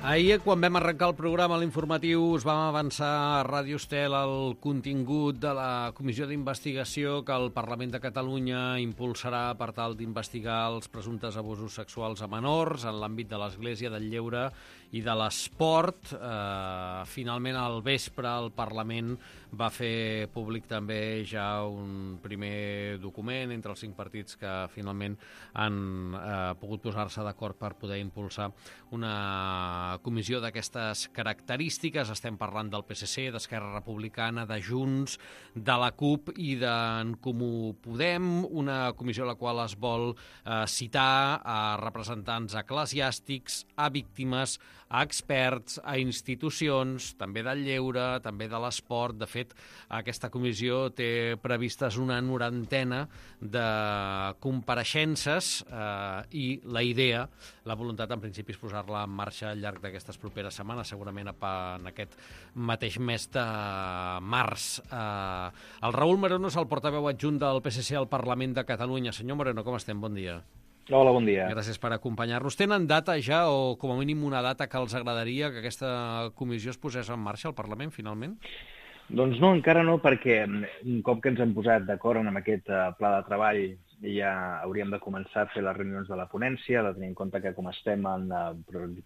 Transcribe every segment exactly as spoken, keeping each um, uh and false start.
Ahir, quan vam arrencar el programa a l'informatiu, us vam avançar a Ràdio Estel el contingut de la comissió d'investigació que el Parlament de Catalunya impulsarà per tal d'investigar els presumptes abusos sexuals a menors en l'àmbit de l'Església, del lleure i de l'esport. Eh, finalment, al vespre, el Parlament va fer públic també ja un primer document entre els cinc partits que finalment han eh, pogut posar-se d'acord per poder impulsar una comissió d'aquestes característiques. Estem parlant del P S C, d'Esquerra Republicana, de Junts, de la CUP i d'en Comú Podem, una comissió a la qual es vol eh, citar a representants eclesiàstics, a víctimes, a experts, a institucions, també del lleure, també de l'esport. De fet, aquesta comissió té previstes una norantena de compareixences eh, i la idea, la voluntat en principi és posar-la en marxa al llarg d'aquestes properes setmanes, segurament en aquest mateix mes de març. Eh, el Raül Moreno és el portaveu adjunt del P S C al Parlament de Catalunya. Senyor Moreno, com estem? Bon dia. Hola, bon dia. Gràcies per acompanyar-nos. Tenen data ja, o com a mínim una data que els agradaria que aquesta comissió es posés en marxa al Parlament, finalment? Doncs no, encara no, perquè un cop que ens hem posat d'acord amb aquest uh, pla de treball ja hauríem de començar a fer les reunions de la ponència, de tenir en compte que com estem en uh,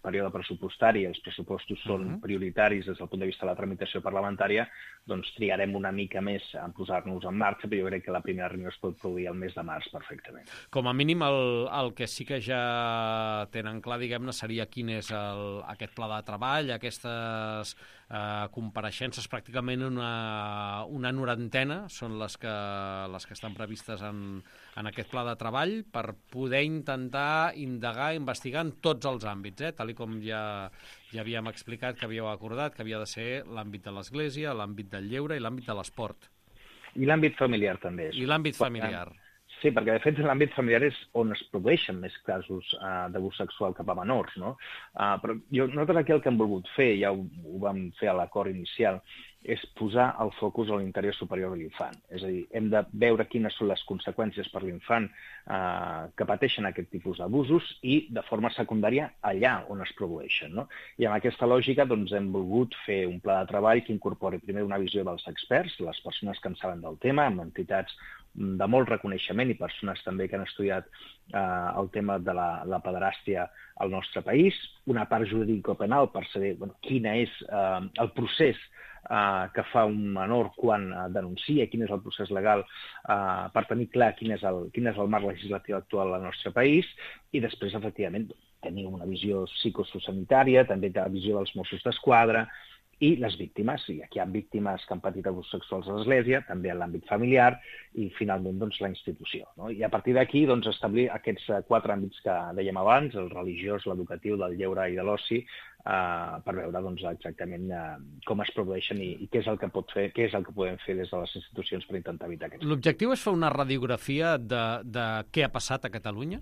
període pressupostari, els pressupostos són uh-huh. prioritaris des del punt de vista de la tramitació parlamentària, doncs trigarem una mica més a posar-nos en marxa, però jo crec que la primera reunió es pot produir el mes de març perfectament. Com a mínim el, el que sí que ja tenen clar, diguem-ne, seria quin és el, aquest pla de treball, aquestes eh, compareixences, pràcticament una, una norantena són les que, les que estan previstes en, en aquest pla de treball per poder intentar indagar, investigar en tots els àmbits, eh? Tal i com ja, ja havíem explicat que havíeu acordat, que havia de ser l'àmbit de l'Església, l'àmbit del lleure i l'àmbit de l'esport. I l'àmbit familiar també. I l'àmbit familiar. Sí, perquè de fet l'àmbit familiar és on es produeixen més casos uh, d'abús sexual cap a menors, no? Uh, però jo, nosaltres aquí el que hem volgut fer, ja ho, ho vam fer a l'acord inicial, és posar el focus a l'interior superior de l'infant. És a dir, hem de veure quines són les conseqüències per l'infant eh, que pateixen aquest tipus d'abusos i, de forma secundària, allà on es produeixen, no? I amb aquesta lògica doncs, hem volgut fer un pla de treball que incorpori primer una visió dels experts, les persones que en saben del tema, amb entitats de molt reconeixement i persones també que han estudiat eh, el tema de la, la pederàstia al nostre país, una part jurídico-penal per saber bueno, quina és eh, el procés Uh, que fa un menor quan uh, denuncia, quin és el procés legal uh, per tenir clar quin és, el, quin és el marc legislatiu actual al nostre país i després, efectivament, tenir una visió psicosociosanitària, també la visió dels Mossos d'Esquadra i les víctimes. I aquí hi ha víctimes que han patit abusos sexuals a l'Església, també en l'àmbit familiar i, finalment, doncs, la institució, no? I a partir d'aquí doncs, establir aquests quatre àmbits que dèiem abans, el religiós, l'educatiu, del lleure i de l'oci, Uh, per veure doncs, exactament uh, com es produeixen i, i què és el que pot fer, què és el que podem fer des de les institucions per intentar evitar aquests. L'objectiu és fer una radiografia de, de què ha passat a Catalunya?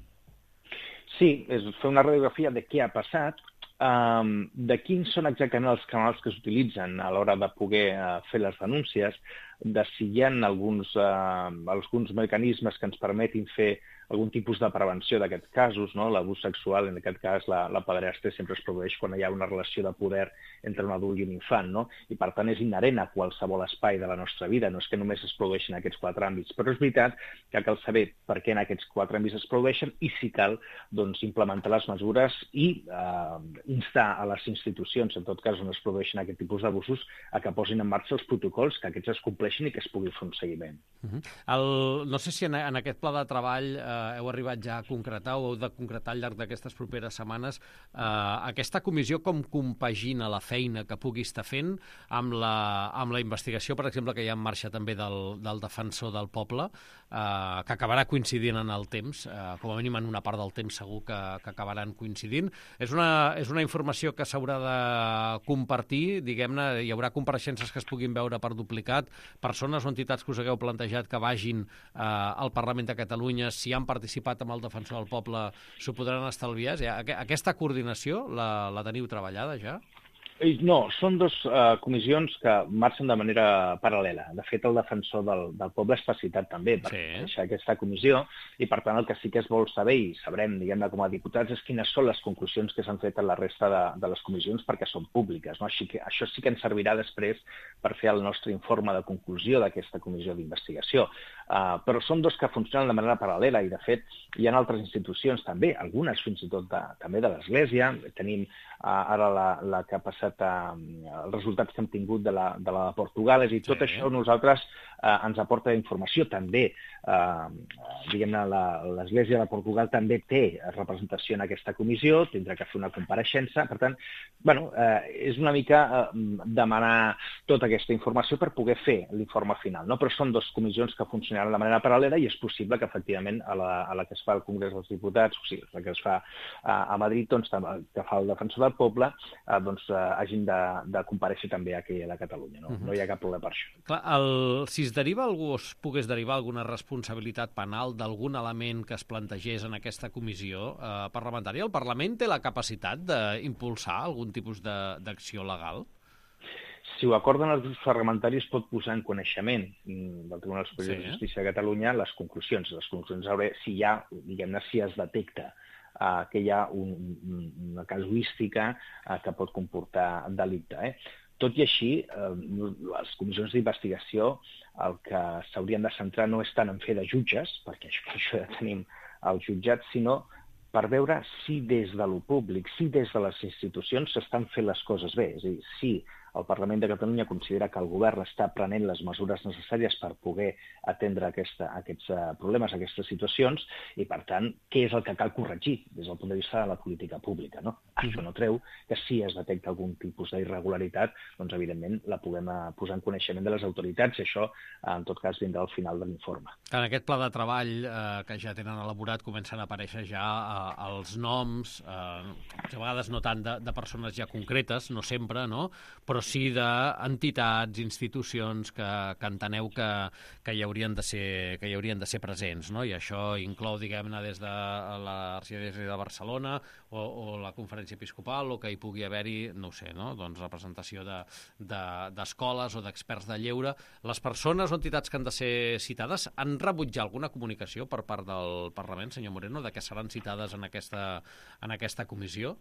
Sí, és fer una radiografia de què ha passat, um, de quins són exactament els canals que s'utilitzen a l'hora de poder uh, fer les denúncies, de si hi ha alguns, uh, alguns mecanismes que ens permetin fer algun tipus de prevenció d'aquests casos, no? L'abús sexual, en aquest cas la, la pederàstia, sempre es produeix quan hi ha una relació de poder entre un adult i un infant, no? I per tant és inherent a qualsevol espai de la nostra vida, no és que només es produeixin aquests quatre àmbits, però és veritat que cal saber per què en aquests quatre àmbits es produeixen i si cal doncs, implementar les mesures i eh, instar a les institucions, en tot cas on es produeixen aquest tipus d'abusos, a que posin en marxa els protocols, que aquests es compleixin i que es pugui fer un seguiment. Uh-huh. El, no sé si en, en aquest pla de treball eh, heu arribat ja a concretar o heu de concretar al llarg d'aquestes properes setmanes eh, aquesta comissió com compagina la feina que pugui estar fent amb la, amb la investigació, per exemple, que hi ha en marxa també del, del defensor del poble, eh, que acabarà coincidint en el temps, eh, com a mínim en una part del temps segur que, que acabaran coincidint. És una, és una informació que s'haurà de compartir, diguem-ne, hi haurà compareixences que es puguin veure per duplicat, persones o entitats que us hagueu plantejat que vagin eh, al Parlament de Catalunya, si han participat amb el defensor del poble, s'ho podran estalviar? Aquesta coordinació la, la teniu treballada ja? No, són dues uh, comissions que marxen de manera paral·lela. De fet, el defensor del, del poble està citat també per Sí. deixar aquesta comissió i, per tant, el que sí que es vol saber, i sabrem, diguem-ne, com a diputats, és quines són les conclusions que s'han fet en la resta de, de les comissions perquè són públiques. No? Així que això sí que ens servirà després per fer el nostre informe de conclusió d'aquesta comissió d'investigació. Uh, però són dos que funcionen de manera paral·lela i, de fet, hi ha altres institucions també, algunes fins i tot de, també de l'Església. Tenim uh, ara la, la que ha passat uh, els resultats que hem tingut de la de, la de Portugal, és a dir, tot sí. Això nosaltres uh, ens aporta informació també. Uh, diguem-ne, l'Església de Portugal també té representació en aquesta comissió, tindrà que fer una compareixença, per tant, bueno, uh, és una mica uh, demanar tota aquesta informació per poder fer l'informe final, no? Però són dues comissions que funcionaran de manera paral·lela i és possible que, efectivament, a la, a la que es fa al Congrés dels Diputats, o sigui, la que es fa a, a Madrid, doncs, que fa el defensor del poble, uh, doncs, uh, hagin de, de comparèixer també aquí a la Catalunya. No? Uh -huh. No hi ha cap problema per això. Clar, el, si es deriva algú, es pogués derivar alguna responsabilitat penal d'algun element que es plantegés en aquesta comissió eh, parlamentària, el Parlament té la capacitat d'impulsar algun tipus d'acció legal? Si ho acorden els grups parlamentaris, pot posar en coneixement del Tribunal Superior sí. de Justícia de Catalunya les conclusions. Les conclusions sobre si hi ha, diguem-ne, si es detecta Uh, que hi ha un, un, una casuística uh, que pot comportar delicte. Eh? Tot i així, uh, les comissions d'investigació el que s'haurien de centrar no és tant en fer de jutges, perquè això, això ja tenim els jutjats, sinó per veure si des de lo públic, si des de les institucions s'estan fent les coses bé. És a dir, si el Parlament de Catalunya considera que el govern està prenent les mesures necessàries per poder atendre aquesta, aquests uh, problemes, aquestes situacions, i, per tant, què és el que cal corregir des del punt de vista de la política pública. No? Mm. Això no treu que si es detecta algun tipus d'irregularitat, doncs, evidentment, la puguem uh, posar en coneixement de les autoritats, i això, uh, en tot cas, vindrà al final de l'informe. En aquest pla de treball eh, que ja tenen elaborat comencen a aparèixer ja eh, els noms, eh, a vegades no tant de, de persones ja concretes, no sempre, no?, però sí d'entitats, institucions que, que enteneu que, que, hi haurien de ser, que hi haurien de ser presents, no? I això inclou, diguem-ne, des de l'Arxidiòcesi de Barcelona o, o la Conferència Episcopal, o que hi pugui haver-hi, no ho sé, no? Doncs representació d'escoles de, de, o d'experts de lleure. Les persones o entitats que han de ser citades han rebut ja alguna comunicació per part del Parlament, senyor Moreno, de que seran citades en aquesta, en aquesta comissió?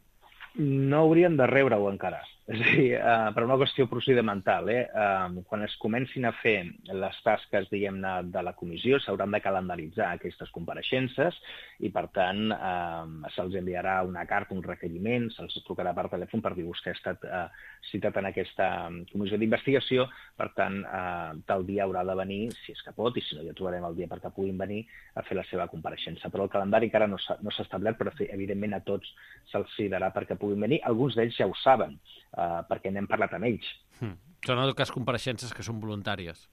No haurien de rebre-ho encara. És a dir, uh, per una qüestió procedimental, eh? uh, quan es comencin a fer les tasques, diguem-ne, de la comissió, s'hauran de calendaritzar aquestes compareixences i, per tant, uh, se'ls enviarà una carta, un requeriment, se'ls trucarà per telèfon per dir vostè ha estat uh, citat en aquesta comissió d'investigació, per tant, uh, tal dia haurà de venir, si és que pot, i si no ja trobarem el dia perquè puguin venir a fer la seva compareixença. Però el calendari encara no s'ha no s'ha establert, però evidentment a tots se'ls citarà perquè puguin venir. Alguns d'ells ja ho saben, uh, perquè n'hem parlat amb ells. Hmm. Són en tot cas compareixences que són voluntàries.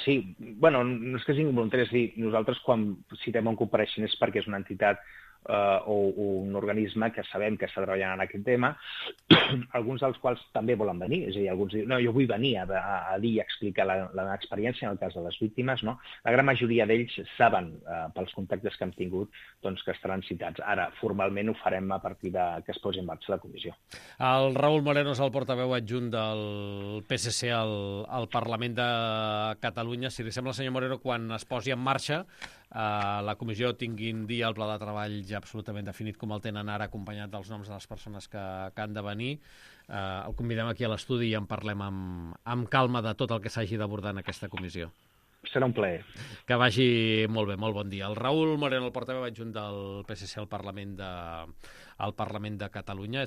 Sí, bueno, no és que siguin voluntàries, és dir, nosaltres quan citem un compareixent és perquè és una entitat Uh, o, o un organisme que sabem que està treballant en aquest tema, alguns dels quals també volen venir, és a dir, alguns diuen, no, jo vull venir a, a, a dir i explicar la, la meva experiència en el cas de les víctimes, no? La gran majoria d'ells saben, uh, pels contactes que hem tingut, doncs que estaran citats. Ara, formalment ho farem a partir de que es posi en marxa la comissió. El Raül Moreno és el portaveu adjunt del P S C al, al Parlament de Catalunya. Si li sembla, senyor Moreno, quan es posi en marxa Uh, la comissió tingui un dia el pla de treball ja absolutament definit com el tenen ara, acompanyat dels noms de les persones que, que han de venir. Uh, el convidem aquí a l'estudi i en parlem amb, amb calma de tot el que s'hagi d'abordar en aquesta comissió. Serà un plaer. Que vagi molt bé, molt bon dia. El Raül Moreno, el portaveu adjunt del P S C al Parlament de, al Parlament de Catalunya.